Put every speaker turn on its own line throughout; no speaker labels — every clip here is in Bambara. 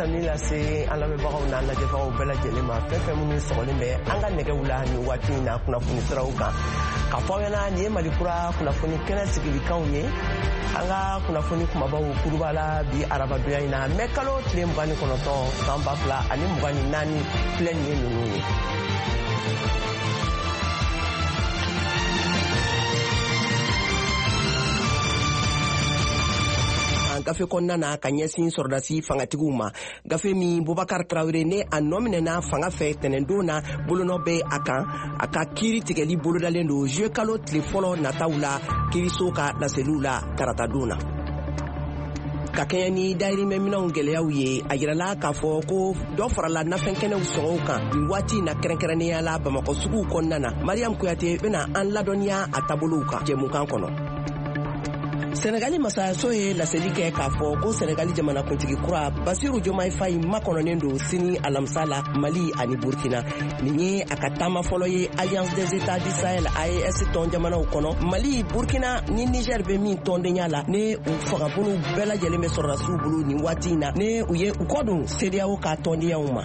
Tanuni lase an lamɛnbagaw n'an lajɛbagaw bɛɛ lajɛlen ma, fɛn fɛn minnu sɔgɔlen bɛ an ka nɛgɛw la nin waati in na kunnafoni siraw kan, k'a fɔ aw ɲɛna nin ye Mali Kura kunnafoni kɛnɛ sigilikanw ye. An ka kunnafoni kumabaw kuruba la bi arabadonya in na, mɛ kalo tile 29 san 2024, filɛ nin ye ninnu ye. Gafe kɔnɔna na ka ɲɛsin sɔrɔdasi fangatigiw ma, gafe min Bubakar Tarawele ne a nɔ minɛna fanga fɛ tɛnɛndon na, bolonɔ bɛ a kan. A ka kiiri tigɛli bolodalen don juillet kalo tile fɔlɔ nataw la, kiiriso ka laseliw la taratadon na. Ka kɛɲɛ ni dayirimɛ minɛnw gɛlɛyaw ye, a yirala k'a fɔ ko dɔ farala nafɛn kɛnɛw sɔngɔw kan nin waati na, kɛrɛnkɛrɛnnenya la Bamakɔ suguw kɔnɔna na. Mariam Kuyate bɛna an ladɔnniya a taabolow kan jɛmukan kɔnɔ. Sɛnɛgali masayaso ye laseli kɛ k'a fɔ ko Sɛnɛgali jamanakuntigi kura Basiru Jomayi Fayi makɔnɔnen don sini alamisa la Mali ani Burkina. Nin ye a ka taama fɔlɔ ye Alliance des États du Sahel, AES tɔn jamanaw kɔnɔ, Mali, Burkina ni Niger bɛ min tɔndenya la, ne u fangabolow bɛɛ lajɛlen bɛ sɔrɔdasiw bolo nin waati in na, ne u ye u kɔ don CEDEAO ka tɔndenyaw ma.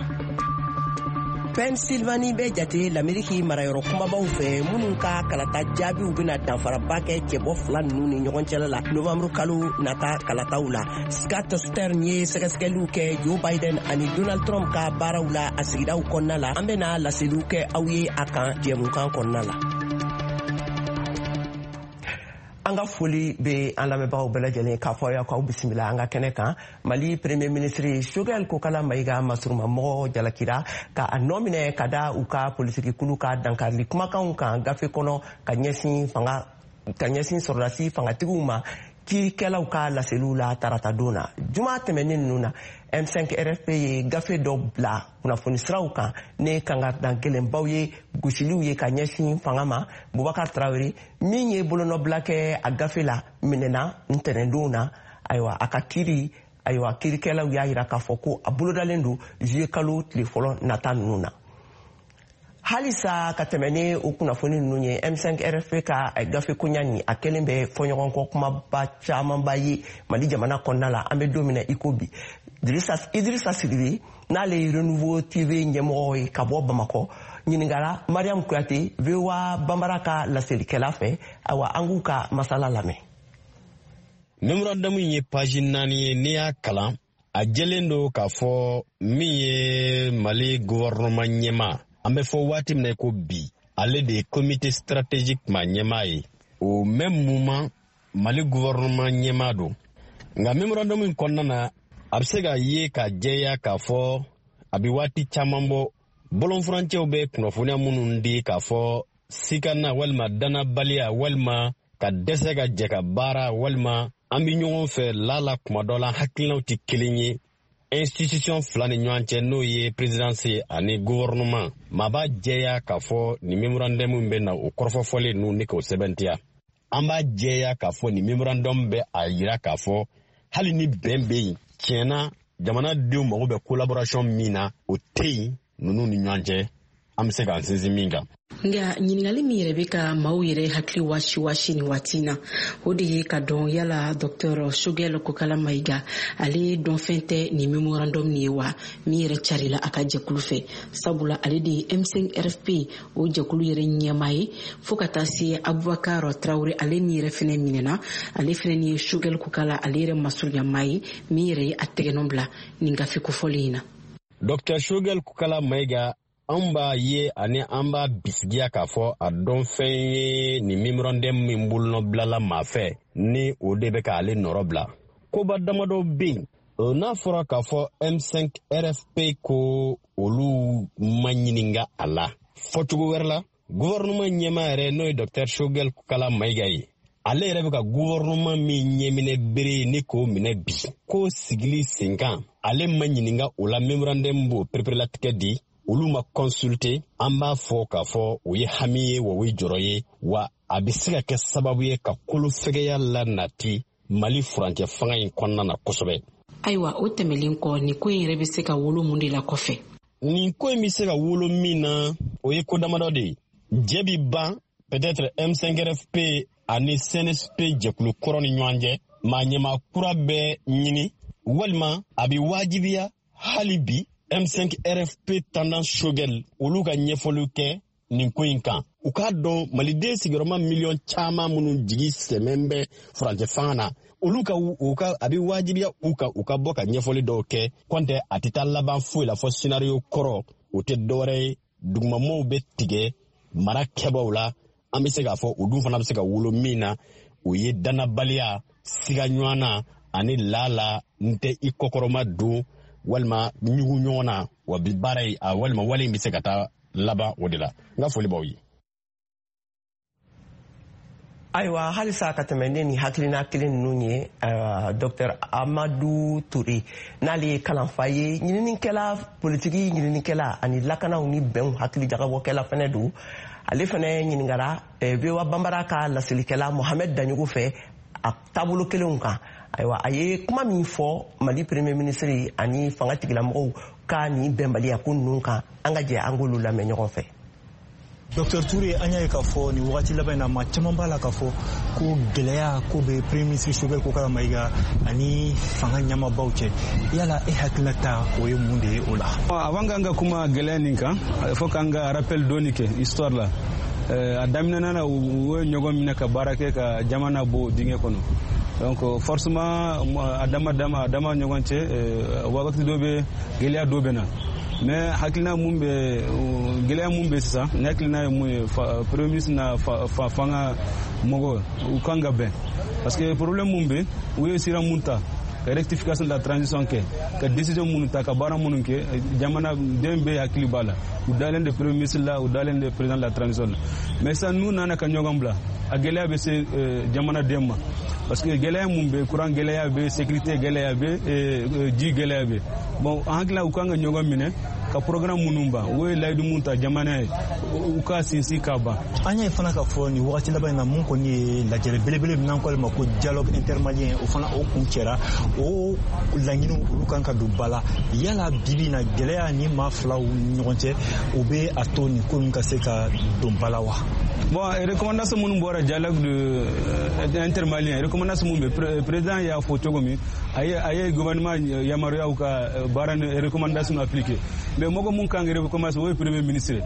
Pennsylvanie bɛ jate Lameriki marayɔrɔ kunbabaw fɛ minnu ka kalata jaabiw bɛna danfaraba kɛ cɛbɔ fila ninnu ni ɲɔgɔn cɛla la novembre kalo nata kalataw la. Scott Stern ye sɛgɛsɛgɛliw kɛ Joe Biden ani Donald Trump ka baaraw la a sigidaw kɔnɔna la. An bɛna laseliw kɛ aw ye a kan jɛmukan kɔnɔna la. An ka foli bɛ an lamɛnbagaw bɛɛ lajɛlen k'a fɔ aw ye k'aw bisimila an ka kɛnɛ kan. Mali Premier ministre Choguel Kokala Mayiga masurumamɔgɔ jalakira ka a nɔ minɛ ka da u ka politiki kulu ka dankarili kumakanw kan gafe kɔnɔ ka ɲɛsin fanga ka ɲɛsin sɔrɔdasi fangatigiw ma, kiirikɛlaw ka laseliw la taratadon na. Juma tɛmɛnen ninnu na, M5 RFP ye gafe dɔ bila kunnafoni siraw kan ne kangarida gɛlɛnbaw ye, gosiliw ye ka ɲɛsin fanga ma. Bubakar Tarawele min ye bolonɔbila kɛ a gafe la minɛna ntɛnɛndon na. Ayiwa, a ka kiiri, ayiwa, kiirikɛlaw y'a yira k'a fɔ ko a bolodalen don juillet kalo tile fɔlɔ nata ninnu na. Halisa ka tɛmɛ ni o kunnafoni ninnu ye, M5 RFP ka gafe koɲa nin, a kɛlen bɛ fɔɲɔgɔnkɔ kumaba camanba ye Mali jamana kɔnɔna la an bɛ don min na i ko bi. Idrissa Sidibe, n'ale ye Renouveau TV ɲɛmɔgɔ ye ka bɔ Bamakɔ, ɲininkara Mariam Kuyate, VOA Banbara ka laselikɛla fɛ. Ayiwa, an k'u ka masala lamɛn.
Memorandum ye page 4 ye. N'i y'a kalan, a jɛlen don k'a fɔ min ye Mali gouvernement ɲɛmaa, an bɛ fɔ waati min na ko bi, ale de ye comité stratégique ma ɲɛmaa ye. Au même moment, Mali gouvernement ɲɛmaa don. Nka memorandum in kɔnɔna na, a bɛ se ka ye ka jɛya k'a fɔ a bɛ waati caman bɔ, bɔlɔnfurancɛw bɛ kunnafoniya minnu di k'a fɔ sikana walima danabaliya walima ka dɛsɛ ka jɛ ka baara walima an bɛ ɲɔgɔn fɛ lala, kuma dɔ la hakilinaw tɛ kelen ye institution fila ni ɲɔgɔn cɛ, n'o ye présidence ani gouvernement. Maa b'a jɛya k'a fɔ nin memorandum bɛ na o kɔrɔfɔfɔlen ninnu ni k'o sɛbɛntiya. An b'a jɛya k'a fɔ nin memorandum bɛ a yira k'a fɔ hali ni bɛn bɛ yen tiɲɛna, jamanadenw mago bɛ collaboration min na, o tɛ yen ninnu ni ɲɔgɔn cɛ, an bɛ se k'an sinsin min kan.
Nka ɲininkali min yɛrɛ bɛ ka maaw yɛrɛ hakili wasi wasi nin waati na, o de ye ka dɔn yala Dr Choguel Kokala Mayiga, ale dɔnfɛn tɛ nin memorandum nin ye wa, min yɛrɛ carila a ka jɛkulu fɛ, sabula ale de ye M5 RFP o jɛkulu yɛrɛ ɲɛmaa ye, fo ka taa se Abubakar Tarawele, ale ni yɛrɛ fɛnɛ minɛna, ale fɛnɛ ni ye Choguel Kokala ale yɛrɛ masurunya ye, min yɛrɛ ye a tɛgɛnɔ bila nin gafe kofɔlen in na.
Dr Choguel Kokala Mayiga, an b'a ye ani an b'a bisigiya k'a fɔ a dɔn fɛn ye nin memorandum min bolonɔ bilala maa fɛ, ni o de bɛ k'ale nɔrɔ bila. Koba damadɔ bɛ yen, n'a fɔra k'a fɔ M5 RFP ko olu ma ɲininka a la, fɔcogo wɛrɛ la, gouvernement ɲɛmaa yɛrɛ, n'o ye Dr Choguel Kokala Mayiga ye, ale yɛrɛ bɛ ka gouvernement min ɲɛminɛ bere ni k'o minɛ bi ko sigili sen kan, ale ma ɲininka o la. Memorandum b'o pereperelatigɛ di, olu ma consulter. An b'a fɔ k'a fɔ o ye hami ye wa, o ye jɔrɔ ye wa, a bɛ se ka kɛ sababu ye ka kolo fɛgɛya la nati Mali furancɛ fanga in kɔnɔna na kosɛbɛ.
Ayiwa, o tɛmɛlen kɔ, nin ko in yɛrɛ bɛ se ka wolo mun de la kɔfɛ?
Nin ko in bɛ se ka wolo min na, o ye ko damadɔ de ye. Jɛ bi ban peut-être M5RFP ani CNSP jɛkulu kɔrɔ ni ɲɔgɔn cɛ, maa ɲɛmaa kura bɛ ɲini walima a bɛ wajibiya. Hali bi M5 RFP tendance Choguel, olu ka ɲɛfɔliw kɛ nin ko in kan. U k'a dɔn maliden sigiyɔrɔma miliyɔn caman minnu jigi sɛmɛn bɛ furancɛ fanga na, olu ka u ka a bɛ wajibiya u kan u ka bɔ ka ɲɛfɔli dɔw kɛ. Kɔntɛ a tɛ taa laban foyi la fɔ scénario kɔrɔ, o tɛ dɔwɛrɛ ye, dugumamɔgɔw bɛ tigɛ mara kɛbaw la. An bɛ se k'a fɔ o dun fana bɛ se ka wolo min na, o ye dannabaliya, siga ɲɔgɔn na ani laala n tɛ i kɔkɔrɔma don walima ɲugu ɲɔgɔn na. Wa bi baara ye a walima wale in bɛ se ka taa laban o de la. N ka foli b'aw ye.
Ayiwa, halisa ka tɛmɛ ne ni hakilina kelen ninnu ye, Dr Amadu Ture, n'ale ye kalanfa ye, ɲininikɛla, politiki ɲininikɛla ani lakanaw ni bɛnw hakili jagabɔkɛla fɛnɛ don. Ale fɛnɛ ɲininkara VOA Banbara ka laselikɛla Mohamed Daɲogo fɛ a taabolo kelenw kan. Ayiwa, a ye kuma min fɔ Mali premier ministre ani fanga tigilamɔgɔw ka nin bɛnbaliya ko ninnu kan, an ka jɛ an k'olu lamɛn ɲɔgɔn fɛ.
Dr Touré, an y'a ye k'a fɔ nin wagati laban in na, maa caman b'a la k'a fɔ ko gɛlɛya ko bɛ premier ministre Choguel Kokalla Maïga ani fanga ɲɛmaabaw cɛ. Yala e hakilina ta o ye mun de ye o la?
Avant k'an ka kuma gɛlɛya nin kan, il faut k'an ka rappel dɔɔni kɛ histoire la. A daminɛna na, u ye ɲɔgɔn minɛ ka baara kɛ ka jamana bɔ dingɛ kɔnɔ. Donc forcément, a dama dama a dama ɲɔgɔn cɛ, wagati dɔ bɛ, gɛlɛya dɔ bɛ na. Mais hakilina mun bɛ, gɛlɛya mun bɛ sisan, ne hakilina ye mun ye, premier ministre na fanga mɔgɔ, u kan ka bɛn, parce que problème mun bɛ, u ye sira mun ta ka rectification de la transition kɛ, ka décision minnu ta, ka baara minnu kɛ, jamana den bɛɛ hakili b'a la. U dalen de premier ministre la, u dalen de président de la transition la. Mais sisan n'u nana ka ɲɔgɔn bila, a gɛlɛya bɛ se jamanaden ma, parce que gɛlɛya mun bɛ, courant gɛlɛya bɛ, sécurité gɛlɛya bɛ, ji gɛlɛya bɛ. Bon, an hakili la, u kan ka ɲɔgɔn minɛ ka programme minnu ban, u ye layidu mun ta jamana ye, u ka sinsin ka ban.
An y'a ye fana k'a fɔ nin wagati laban in na, mun kɔni ye lajɛrɛ belebele min n'an ko ale ma ko dialogue intermalien, o fana o kun cɛra, o laɲiniw olu kan ka don ba la. Yala bibi na, gɛlɛya ni maa filaw ni ɲɔgɔn cɛ, o bɛ a to nin ko ninnu ka se ka don ba la wa?
Bon, recommandation minnu bɔra dialogue de intermalien, recommandation mun bɛ, président y'a fɔ cogo min, a ye gouvernement yamaruyaw ka baara ni recommandation appliquer. Mais mɔgɔ mun kan ka recommandation, o ye premier ministre.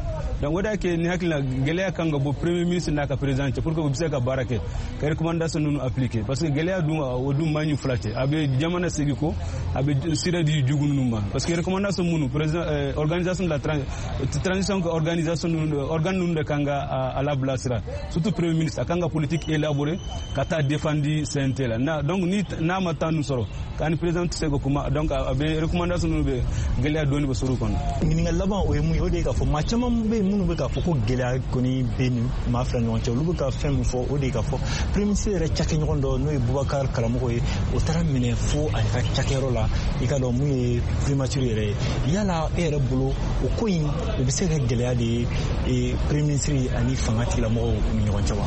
Donc o de y'a kɛ ni hakili la, gɛlɛya kan ka bɔ premier ministre n'a ka président cɛ pour que u bɛ se ka baara kɛ ka recommandation ninnu appliquer, parce que gɛlɛya dun, o dun man ɲi fila cɛ, a bɛ jamana segin ko, a bɛ sira di jugu ninnu ma. Parce que recommandation minnu, président, organisation de la transition ka organisation ninnu, organe ninnu de kan ka a labilasira, surtout premier ministre, a kan ka politique élaborer ka taa défendu CNT la na. Donc ni n'a ma temps ninnu sɔrɔ k'a ni président tɛ se ka kuma, donc a bɛ recommandation ninnu bɛ gɛlɛya dɔɔni bɛ sɔrɔ o kɔnɔ.
Ɲininkali laban, o ye mun ye? O de ye k'a fɔ maa caman bɛ yen minnu bɛ k'a fɔ ko gɛlɛya kɔni bɛ nin maa fila ɲɔgɔn cɛ. Olu bɛ ka fɛn min fɔ, o de ye k'a fɔ premier ministre yɛrɛ cakɛɲɔgɔn dɔ, n'o ye Bubakar Karamɔgɔ ye, o taara minɛ fo a ka cakɛyɔrɔ la, i ka dɔn mun ye primature yɛrɛ ye. Yala e yɛrɛ bolo, o ko in o bɛ se ka kɛ gɛlɛya de ye premier ministre ani fanga tigilamɔgɔw ni ɲɔgɔn cɛ wa?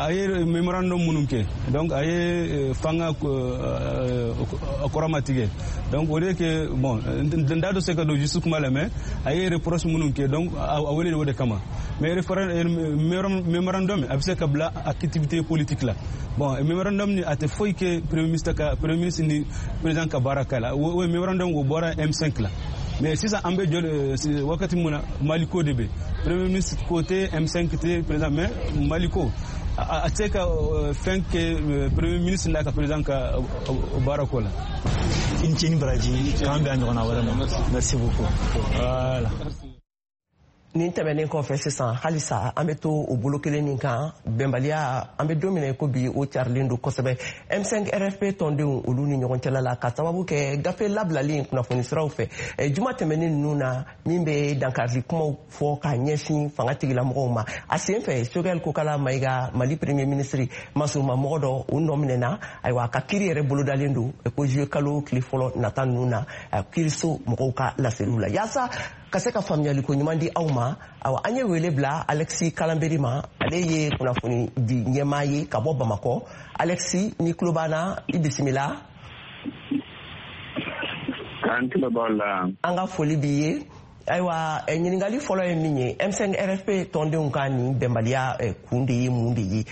A ye mémorandum minnu kɛ, donc a ye fanga kɔrɔma tigɛ. Donc o de kɛ, bon, n da dɔ se ka don juste kuma la, mais a ye reproche minnu kɛ, donc a wele o de kama. Mais mémorandum a bɛ se ka bila activité politique la. Bon, mémorandum ni a tɛ foyi kɛ premier ministre ka, premier ministre ni président ka baara kɛ la. O mémorandum, o bɔra M5 la. Mais sisan an bɛ jɔ wagati mun na, Mali ko de bɛ, premier ministre ko tɛ, M5 tɛ, président, mais Mali ko a tɛ se ka fɛn kɛ premier ministre n'a ka président ka baara ko la.
I ni ce ni baraji, k'an bɛn a ɲɔgɔnna wɛrɛ ma. Merci beaucoup, voilà.
Nin tɛmɛnen kɔfɛ, sisan halisa an bɛ to o bolo kelen nin kan. Bɛnbaliya, an bɛ don min na i ko bi, o carilen don kosɛbɛ M5 RFP tɔndenw olu ni ɲɔgɔn cɛla la, ka sababu kɛ gafe labilalen kunnafoni siraw fɛ juma tɛmɛnen ninnu na, min bɛ dankarili kumaw fɔ ka ɲɛsin fanga tigilamɔgɔw ma. A sen fɛ, Choguel Kokalla Maïga, Mali premier ministre masuruma mɔgɔ dɔ, o nɔ minɛna. Ayiwa, a ka kiiri yɛrɛ bolodalen don ko juillet kalo tile fɔlɔ nata ninnu na, kiiriso mɔgɔw ka laseliw la. Yaasa ka se ka faamuyali ko ɲuman di aw ma, awa, an ye wele bila Alexis Kalanberi ma. Ale ye kunnafoni di ɲɛmaa ye ka bɔ Bamakɔ. Alexis, ni tulo b'an na, i bisimila.
An tulo b'aw la.
An ka foli b'i ye. Ayiwa, ɲininkali fɔlɔ ye min ye, M5 RFP tɔndenw ka nin bɛnbaliya kun de ye mun de ye?